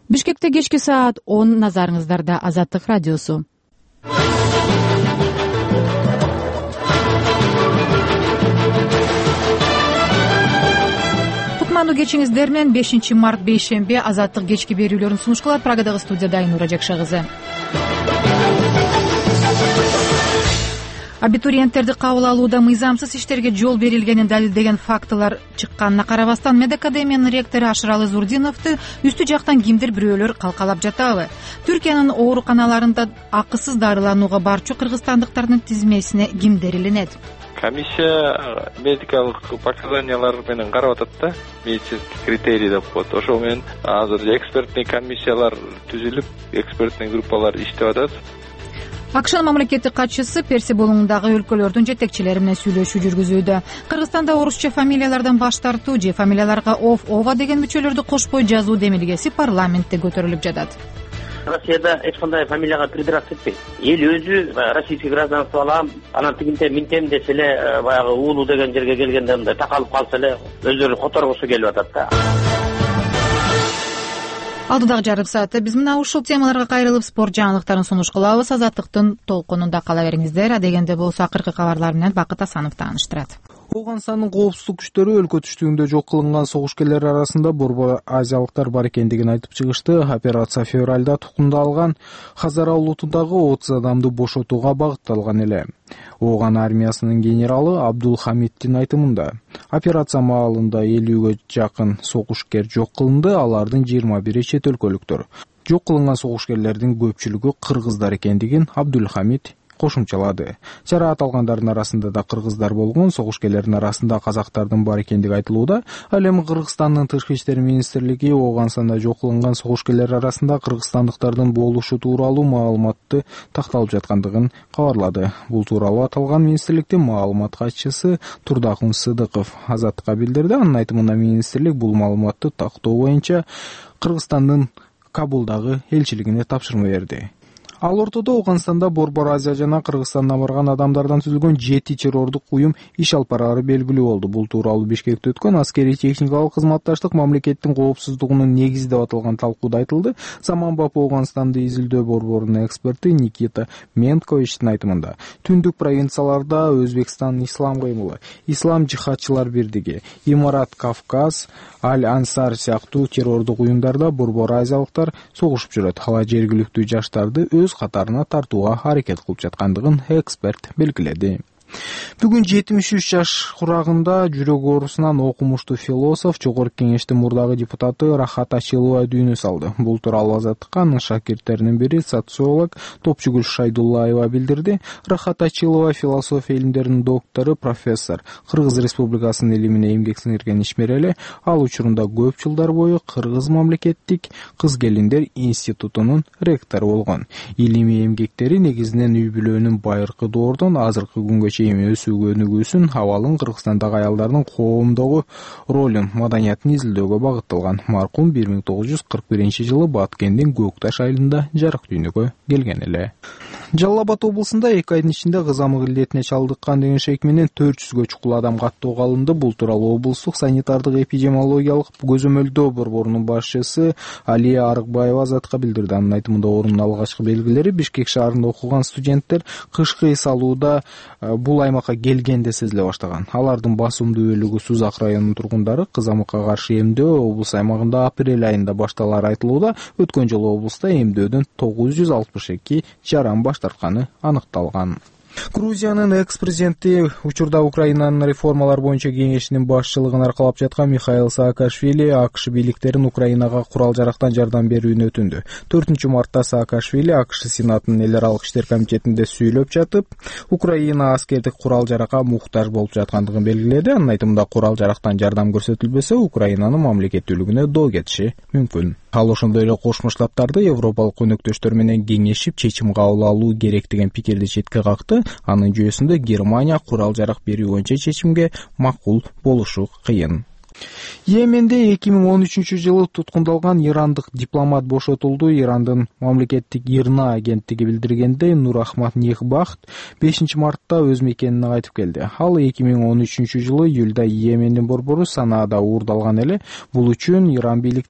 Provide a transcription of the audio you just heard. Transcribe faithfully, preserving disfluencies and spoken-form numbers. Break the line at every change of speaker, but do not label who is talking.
Бишкекте кечки саат он, назарыңыздарда Азаттык радиосу. Кутмандуу кечиңиздер менен бешинчи март бейшемби Азаттык кечки берүүлөрүн сунуш кылат. Прагадагы студияда Айнура Жакша кызы. Абитуриенттерди кабыл алууда мыйзамсыз иштерге жол берилгенин далилдеген фактылар чыкканына карабастан медакадемиянын ректору Ашыралы Зурдиновду үстү жактан кимдир бирөөлөр калкалап жатабы? Түркиянын ооруканаларында акысыз дарыланууга барчу кыргызстандыктардын тизмесине кимдер илинет?
Комиссия медикалык показаниялар менен карап атат да, медицинский критерий деп коет. Ошол менен азыр экспертный комиссиялар түзүлүп, экспертный группалар иштеп атат.
АКШнын мамлекеттик катчысы Перси болуңундагы өлкөлөрдүн жетекчилери менен сүйлөшүү жүргүзүүдө. Кыргызстанда орусча фамилиялардан баш тартуу же фамилияларга ов, ова деген мүчөлөрдү кошпой жазуу демилгеси парламентте көтөрүлүп жатат.
Россияда эч кандай фамилияга придраться этпейт. Эл өзү российский гражданство алам, анан тигинте минтем десе эле баягы уулу деген жерге келгенде мындай такалып калса эле өздөрү которгусу келип атат да.
Алдыдагы жарым саатта биз мына ушул темаларга кайрылып спорт жаңылыктарын сунуш кылабыз. Азаттыктын толкунунда кала бериңиздер. Адегенде болсо акыркы кабарлар менен Бакыт Асанов тааныштырат.
Ооганстандын коопсуздук күчтөрү өлкө түштүгүндө жок кылынган согушкерлер арасында борбор азиялыктар бар экендигин айтып чыгышты. Операция февралда тукумдалган Хазара улутундагы отуз адамды бошотууга багытталган эле. Ооган армиясынын генералы Абдулхамиддин айтымында, операция маалында элүүгө жакын согушкер жок кылынды, алардын жыйырма бири чет өлкөлүктөр. Жок кылынган согушкерлердин көпчүлүгү кыргыздар экендигин Абдулхамид кошумчалады. Жараат алгандардын арасында да кыргыздар болгон, согушкерлердин арасында казактардын бар экендиги айтылууда. Ал эми Кыргызстандын тышкы иштер министрлиги Ооганстанда жок кылынган согушкерлер арасында кыргызстандыктардын болушу тууралуу маалыматты такталып жаткандыгын кабарлады. Бул тууралуу аталган министрликтин маалымат катчысы Турдакун Сыдыков Азаттыкка билдирди. Анын айтымында министрлик бул маалыматты тактоо боюнча Кыргызстандын Кабулдагы элчилигине тапшырма берди. Ал ортодо Ооганстанда Борбор Азия жана Кыргызстандан барган адамдардан түзүлгөн жети террордук уюм иш алып барары белгилүү болду. Бул тууралуу Бишкекте өткөн аскерий техникалык кызматташтык мамлекеттин коопсуздугунун негизи деп аталган талкууда айтылды. Заманбап Ооганстанды изилдөө борборунун эксперти Никита Менковичтин айтымында, түндүк провинцияларда Өзбекстан ислам кыймылы, ислам жихадчылар бирдиги, Имарат Кавказ, Аль-Ансар сыяктуу террордук уюмдарда борбор азиялыктар согушуп жүрөт. Ала жергиликтүү жаштарды өз катарына тартууга аракет кылып жаткандыгын эксперт белгиледи. Бүгүн жетимиш үч жаш курагында жүрөк оорусунан окумуштуу философ, Жогорку Кеңештин мурдагы депутаты Рахат Ачилова дүйнө салды. Бул тууралуу Азаттыкка анын шакирттеринин бири, социолог Топчугүл Шайдуллаева билдирди. Рахат Ачилова философия илимдеринин доктору, профессор, Кыргыз Республикасынын илимине эмгек сиңирген ишмер. Ал учурунда көп жылдар бою Кыргыз мамлекеттик кыз-келиндер институтунун ректору болгон. Илимий эмгектери негизинен үй-бүлөнүн байыркы доордон азыркы күнгө чейин өсүүгө өнүгүүсүн, абалын, Кыргызстандагы аялдардын коомдогу ролун, маданиятын изилдөөгө багытталган. Маркум бир миң тогуз жүз кырк биринчи жылы Баткендин Көкташ айылында жарык дүйнөгө келген эле. Жалал Абад облусунда эки айдын ичинде кызамык илдетине чалдыккан деген шек менен төрт жүзгө чукул адам каттоого алынды. Бул тууралуу облустук санитардык эпидемиологиялык көзөмөлдөө борборунун башчысы Алия Арыкбаева Азатка билдирди. Анын айтымында, оорунун алгачкы белгилери Бишкек шаарында окуган студенттер кышкы эс алууда бул аймакка келгенде сезиле баштаган. Алардын басымдуу бөлүгү Сузак районунун тургундары. Кызамыкка каршы эмдөө облус аймагында апрель айында башталары айтылууда. Өткөн жылы облуста эмдөөдөн тогуз жүз алтымыш эки жаран баш тартканы аныкталган. Грузиянын экс-президенти, учурда Украинанын реформалар боюнча кеңешинин башчылыгын аркалап жаткан Михаил Саакашвили АКШ бийликтерин Украинага курал-жарактан жардам берүүнү өтүндү. төртүнчү мартта Саакашвили АКШ Сенатынын эл аралык иштер комитетинде сүйлөп жатып, Украина аскердик курал-жаракка муктаж болуп жаткандыгын белгиледи. Анын айтымында, курал-жарактан жардам көрсөтүлбөсө, Украинанын мамлекеттүүлүгүнө доо кетиши мүмкүн. Ал ошондой эле Кошмо Штаттарды Европалык өнөктөштөр менен кеңешип чечим кабыл алуу керек деген пикирди четке какты. Анын жүйөсүндө Германия курал-жарак берүү боюнча чечимге макул болушу кыйын. Йеменде эки миң он үчүнчү жылы туткундалган ирандык дипломат бошотулду. Ирандын мамлекеттик ИРНА агенттиги билдиргендей, Нурахмат Нихбахт бешинчи мартта өз мекенине кайтып келди. Ал эки миң он үчүнчү жылы июлда Йемендин борбору Санаада уурдалган эле. Бул үчүн Иран бийликтери